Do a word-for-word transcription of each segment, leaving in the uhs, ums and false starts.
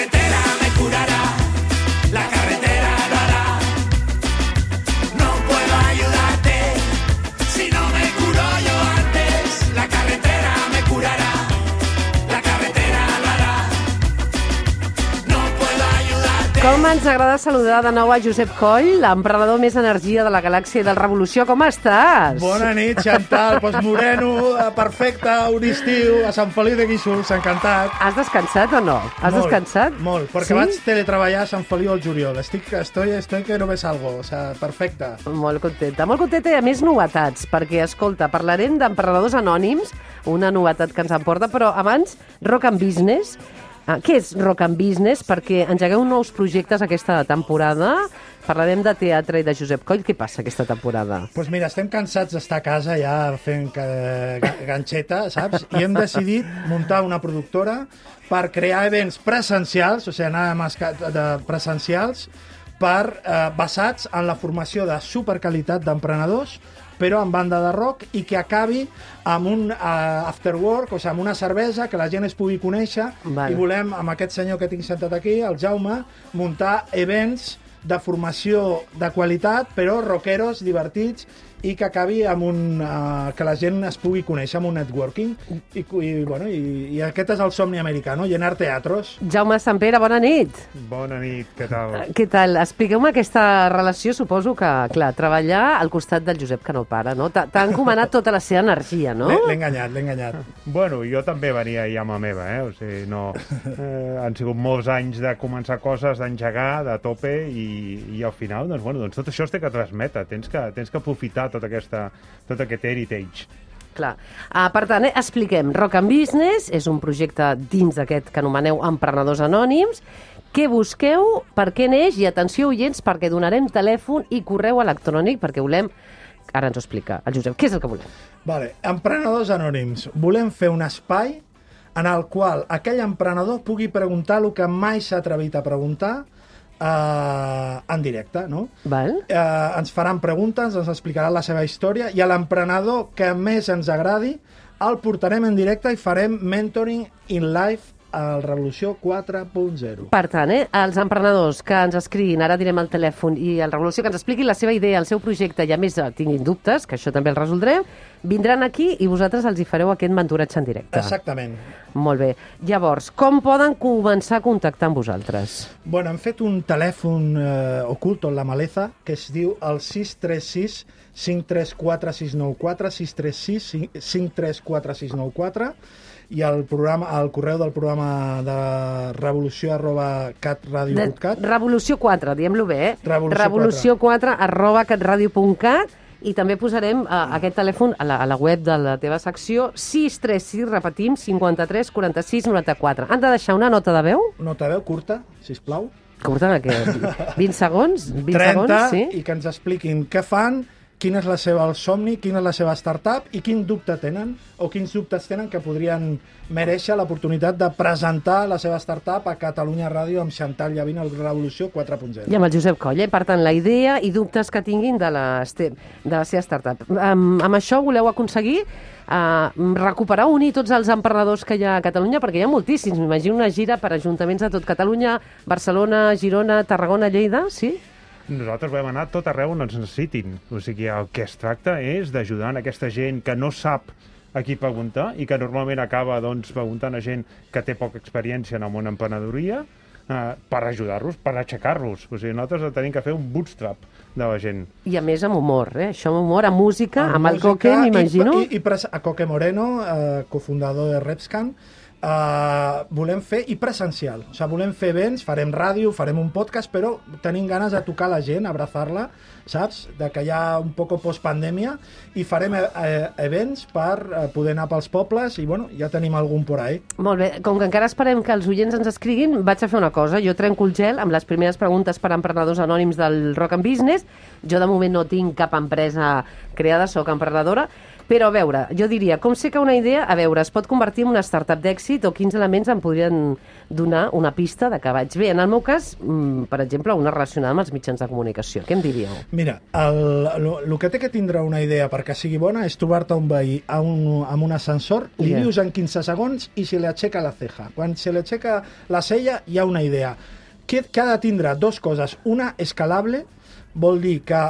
carretera me curará, la carretera lo hará. No puedo ayudarte si no me curo yo antes, la carretera me curará, la carretera lo hará. No puedo ayudarte. Com ens agrada saludar de nou a Josep Coll, l'emprenedor més energia de la galàxia i del Revolució. Com estàs? Bona nit, Chantal. Pues moreno, perfecte, un estiu, a Sant Feliu de Guíxols, encantat. Has descansat o no? Has molt, descansat? Molt, perquè sí? vaig teletreballar a Sant Feliu al juliol. Estic, estoy, estoy que no me salgo, o sea, perfecte. Molt contenta, molt contenta i a més novetats, perquè, escolta, parlarem d'emprenedors anònims, una novetat que ens emporta, però abans, Rock and Business. Uh, què és Rock and Business? Perquè engegueu nous projectes aquesta temporada. Parlarem de teatre i de Josep Coll. Què passa aquesta temporada? Doncs pues mira, estem cansats d'estar a casa ja fent eh, ganxeta, saps? I hem decidit muntar una productora per crear events presencials, o sigui, anar a de presencials, per, eh, basats en la formació de superqualitat d'emprenedors, però en banda de rock, i que acabi amb un uh, after work, o sigui, amb una cervesa, que la gent es pugui conèixer. Vale. I volem, amb aquest senyor que tinc sentat aquí, el Jaume, muntar events de formació de qualitat, però rockeros, divertits, i que acabi amb un... Uh, que la gent es pugui conèixer, amb un networking. I, i, bueno, i, i aquest és el somni americà, no? Llenar teatros. Jaume Sampere, bona nit. Bona nit, què tal? Què tal? Expliqueu-me aquesta relació. Suposo que, clar, treballar al costat del Josep, que no para, no? T'ha encomanat tota la seva energia, no? L'he enganyat, l'he enganyat. Bueno, jo també venia ja amb la meva, eh? O sigui, no... Eh, han sigut molts anys de començar coses, d'engegar, de tope, i, i al final, doncs, bueno, doncs tot això es té que transmetre. Tens que, tens que aprofitar tot, aquesta, tot aquest heritage. Clar. Uh, per tant, eh, expliquem. Rock and Business és un projecte dins d'aquest que anomeneu Emprenedors Anònims. Què busqueu? Per què neix? I atenció, oients, perquè donarem telèfon i correu electrònic, perquè volem... Ara ens ho explica el Josep. Què és el que volem? Vale. Emprenedors Anònims. Volem fer un espai en el qual aquell emprenedor pugui preguntar el que mai s'ha atrevit a preguntar Uh, en directe, no? Val. Uh, ens faran preguntes, ens explicaran la seva història, i a l'emprenedor que més ens agradi el portarem en directe i farem mentoring in live al Revolució quatre punt zero. Per tant, eh, els emprenedors que ens escriguin, ara direm el telèfon, i el Revolució que ens expliquin la seva idea, el seu projecte, i a més tinguin dubtes, que això també el resoldrem, vindran aquí i vosaltres els hi fareu aquest mentoratge en directe. Exactament. Molt bé. Llavors, com poden començar a contactar amb vosaltres? Bueno, hem fet un telèfon eh, oculto en la maleza que es diu el sis tres sis cinc tres quatre sis nou quatre, sis tres sis cinc tres quatre sis nou quatre, i el, programa, el correu del programa de revolució arroba catradio punt cat. Revolució quatre, diem-lo bé, eh? Revolució, revolució quatre arroba catradio punt cat. I també posarem uh, aquest telèfon a la, a la web de la teva secció, sis tres sis, repetim, cinquanta-tres quaranta-sis noranta-quatre. Han de deixar una nota de veu? Nota de veu curta, sisplau. Curta, que vint segons? vint trenta, segons, sí? I que ens expliquin què fan, quin és la seva el somni, quina és la seva startup i quin dubte tenen, o quins dubtes tenen que podrien mereixer l'oportunitat de presentar la seva startup a Catalunya Ràdio amb Chantal Llavín al Revolució quatre punt zero. I amb el Josep Coll, eh? Per tant, la idea i dubtes que tinguin de la, de la seva startup. Um, amb això voleu aconseguir uh, recuperar, unir tots els emprenedors que hi ha a Catalunya, perquè hi ha moltíssims. M'imagino una gira per ajuntaments de tot Catalunya, Barcelona, Girona, Tarragona, Lleida, sí? Nosaltres volem anar tot arreu on ens necessitin. O sigui, el que es tracta és d'ajudar a aquesta gent que no sap a qui preguntar i que normalment acaba doncs, preguntant a gent que té poca experiència en el món emprenedoria eh, per ajudar-los, per aixecar-los. O sigui, nosaltres tenim que fer un bootstrap de la gent. I a més amb humor, eh? Això amb humor, amb música, amb, amb el música, Coque, m'imagino. I, i, i pres- a Coque Moreno, eh, cofundador de Repscan, Uh, volem fer i presencial, o sigui, volem fer events, farem ràdio, farem un podcast, però tenim ganes de tocar la gent, abrazar-la, saps? De que hi ha un poc post-pandèmia, i farem eh, events per eh, poder anar pels pobles, i bueno, ja tenim algun por ahí. Molt bé, com que encara esperem que els oients ens escriguin, vaig a fer una cosa, jo trenco el gel amb les primeres preguntes per a emprenedors anònims del Rock and Business. Jo de moment no tinc cap empresa creada, soc emprenedora. Però, a veure, jo diria, com sé que una idea, a veure, es pot convertir en una startup d'èxit o quins elements em podrien donar una pista de que vaig bé? En el meu cas, mm, per exemple, una relacionada amb els mitjans de comunicació. Què em diríeu? Mira, el, el, el que té que tindre una idea perquè sigui bona és trobar-te un veí a un, amb un ascensor, li Yeah. dius en quinze segons i se li aixeca la ceja. Quan se li aixeca la cella hi ha una idea. Que, que ha de tindre dos coses. Una, escalable, vol dir que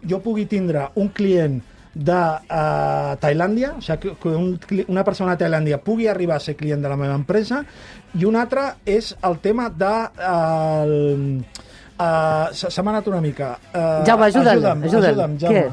jo pugui tindre un client de uh, Tailàndia, o sigui, que, que un, una persona de Tailàndia pugui arribar a ser client de la meva empresa, i un altre és el tema de... Uh, el, uh, se m'ha anat una mica. Uh, Jaume, ajuda'm, ajuda'm, ajuda'm. ajuda'm, Jaume.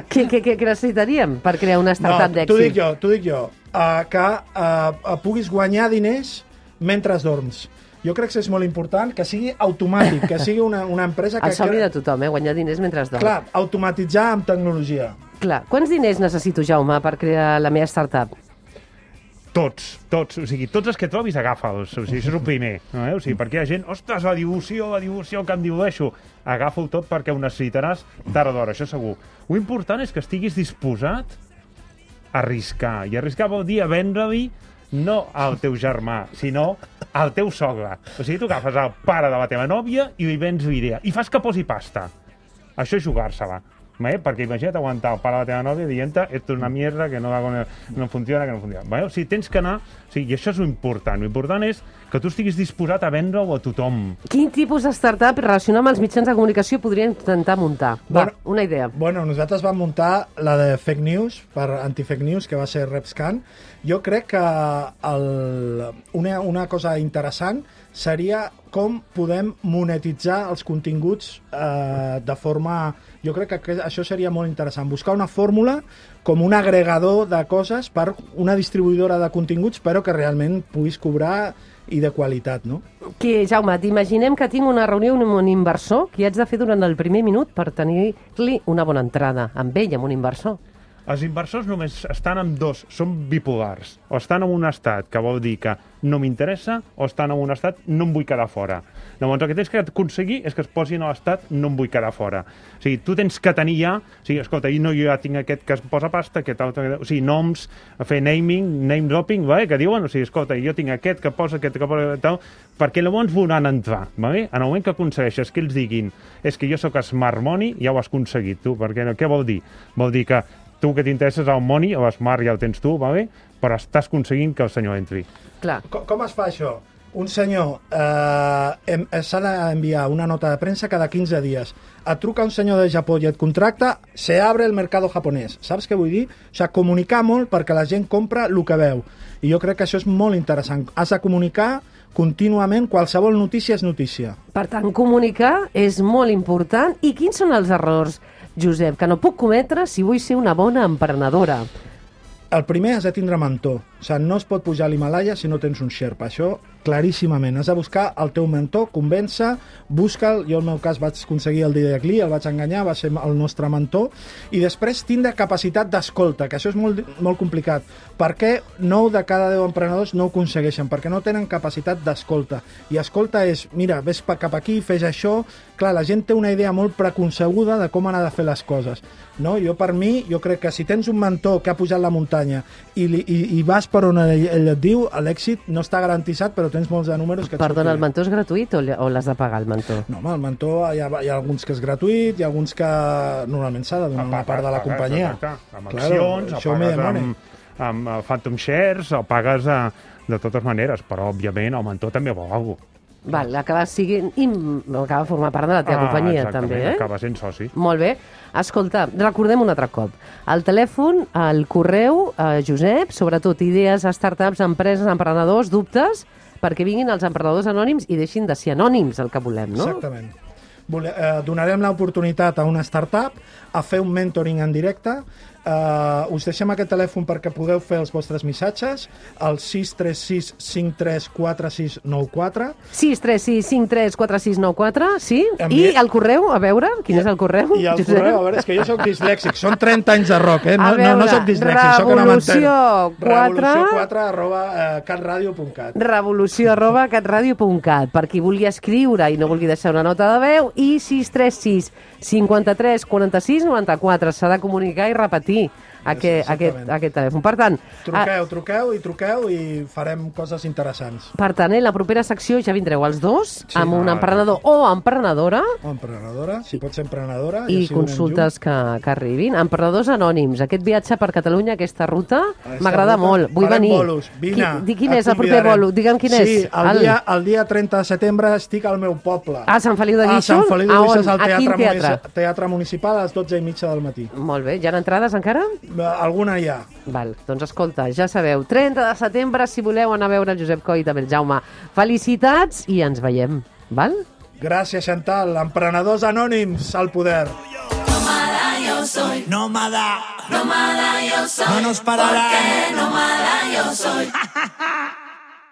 Què, què, què, què necessitaríem per crear una startup No, t'ho dic d'èxit? jo, t'ho dic jo. Uh, que uh, puguis guanyar diners mentre dorms. Jo crec que és molt important que sigui automàtic, que sigui una, una empresa que... El somni de tothom, eh? Guanyar diners mentre es dorm. Clar, automatitzar amb tecnologia. Clar. Quants diners necessito, Jaume, per crear la meva startup? Tots, tots, o sigui, tots els que trobis agafa'ls, o sigui, això és el primer, no, eh? O sigui, perquè hi ha gent, ostres, la dilució, la dilució, que em dilueixo, agafa-ho tot perquè ho necessitaràs tard o d'hora, això segur. Lo important és que estiguis disposat a arriscar, i arriscar vol dir a vendre-li no al teu germà, sinó al teu sogre. O sigui, tu agafes el pare de la teva nòvia i li vens l'idea, i fas que posi pasta. Això és jugar-se-la. ¿Vale? Perquè imagina't aguantar el pare de la teva nòvia dient-te esto és una mierda, que no, no funciona, que no funciona. ¿Vale? O sigui, tens que anar... O sigui, i això és l'important. L'important és que tu estiguis disposat a vendre-ho a tothom. Quin tipus de startup relacionat amb els mitjans de comunicació podria intentar muntar? Va, Bueno, una idea. Bueno, nosaltres vam muntar la de fake news, per anti-fake news, que va ser RepScan. Jo crec que el, una, una cosa interessant seria com podem monetitzar els continguts eh, de forma... Jo crec que això seria molt interessant. Buscar una fórmula com un agregador de coses per una distribuïdora de continguts, però que realment puguis cobrar i de qualitat, no? Que, Jaume, t'imaginem que tinc una reunió amb un inversor que haig de fer durant el primer minut per tenir-li una bona entrada amb ell, amb un inversor. Els inversors només estan en dos, són bipolars. O estan en un estat que vol dir que no m'interessa, o estan en un estat no em vull quedar fora. Llavors el que tens que aconseguir és que es posin a l'estat no em vull quedar fora. O sigui, tu tens que tenir ja... O sigui, escolta, no, jo ja tinc aquest que es posa pasta, aquest altre... O sigui, noms, fer naming, name dropping, vale? Que diuen, o sigui, escolta, jo tinc aquest que posa, aquest que posa... Tal, perquè llavors volen entrar, vale? En el moment que aconsegueixes que ells diguin és que jo sóc smart money, ja ho has aconseguit tu, perquè què vol dir? Vol dir que tu que t'interesses al money, o smart ja el tens tu, vale? Però estàs aconseguint que el senyor entri. Clar. Com, com es fa això? Un senyor eh, em, s'ha d'enviar una nota de premsa cada quinze dies. Et truca un senyor de Japó i et contracta, se abre el mercado japonès. Saps què vull dir? O sigui, comunicar molt perquè la gent compra el que veu. I jo crec que això és molt interessant. Has de comunicar contínuament, qualsevol notícia és notícia. Per tant, comunicar és molt important. I quins són els errors, Josep, que no puc cometre si vull ser una bona emprenedora? El primer has de tindre mentor. O sigui, no es pot pujar a l'Himalaya si no tens un Sherpa. Això, claríssimament. Has de buscar el teu mentor, convèncer, busca'l. Jo, en el meu cas, vaig aconseguir el Didac Lee, el vaig enganyar, va ser el nostre mentor. I després tindre capacitat d'escolta, que això és molt, molt complicat. Per què nou de cada deu emprenedors no ho aconsegueixen? Perquè no tenen capacitat d'escolta. I escolta és, mira, ves cap aquí, fes això... Clar, la gent té una idea molt preconcebuda de com han de fer les coses. No? Jo, per mi, jo crec que si tens un mentor que ha pujat la muntanya i, i, i vas per on ell, ell et diu, l'èxit no està garantitzat, però tens molts de números que et Perdona, el sortiran. mentor és gratuït o, o l'has de pagar, el mentor? No, home, el mentor, hi ha, hi ha alguns que és gratuït, hi ha alguns que normalment s'ha de donar una part de la companyia. Exacte. Amb Claro, accions, això o me pagues demone. amb, amb uh, Phantom Shares, o pagues uh, de totes maneres, però, òbviament, el mentor també vol alguna cosa. Val, acaba, siguin, i acaba formar part de la teva companyia, exactament, també, eh? acaba sent soci. Molt bé. Escolta, recordem un altre cop. El telèfon, el correu, eh, Josep, sobretot idees, startups, empreses, emprenedors, dubtes, perquè vinguin els emprenedors anònims i deixin de ser anònims, el que volem, no? Exactament. Vole, eh, donarem l'oportunitat a una startup a fer un mentoring en directe. Uh, us deixem aquest telèfon perquè podeu fer els vostres missatges al sis tres sis cinc tres quatre sis nou quatre. sis tres sis cinc tres quatre sis nou quatre, sí? Envia- I el correu, a veure, quin és el correu? I el Josep? correu, a veure, és que jo sóc dislèxic, són trenta anys de rock, eh? No, A veure, no, no sóc dislèxic, sóc una Revolució quatre. Revolució quatre arroba uh, catradio punt cat. revolució arroba catradio punt cat per qui vulgui escriure i no vulgui deixar una nota de veu, i sis tres sis cinquanta-tres quaranta-sis noranta-quatre. S'ha de comunicar i repetir. aquest, aquest, exactament. aquest telèfon. Per tant, Truqueu, truqueu i truqueu i farem coses interessants. per tant, eh, la propera secció ja vindreu els dos, Sí. amb un Ah, emprenedor o emprenedora, O emprenedora, si pot ser emprenedora. i així ho anem consultes que, que arribin. Emprenedors anònims, aquest viatge per Catalunya, aquesta ruta, Aquesta m'agrada ruta, molt. Vull farem venir. bolos, vine, Qui, di quin et és el proper convidarem. bolo? Digue'm quin sí, és. Sí, el, dia, el dia trenta de setembre estic al meu poble. A Sant Feliu de A Guíxols? Sant Feliu de A on? Guíxols, al A quin teatre, teatre? munici- teatre Municipal a les dotze i mitja del matí. Molt bé, hi ha entrades encara? Alguna hi ha. Val, doncs escolta, ja sabeu, trenta de setembre, si voleu anar a veure el Josep Coll i també el Jaume. Felicitats i ens veiem, val? Gràcies, Chantal. Emprenedors anònims al poder. Nómada yo soy. Nómada. Nómada yo soy. No nos pararán. Porque nómada yo soy.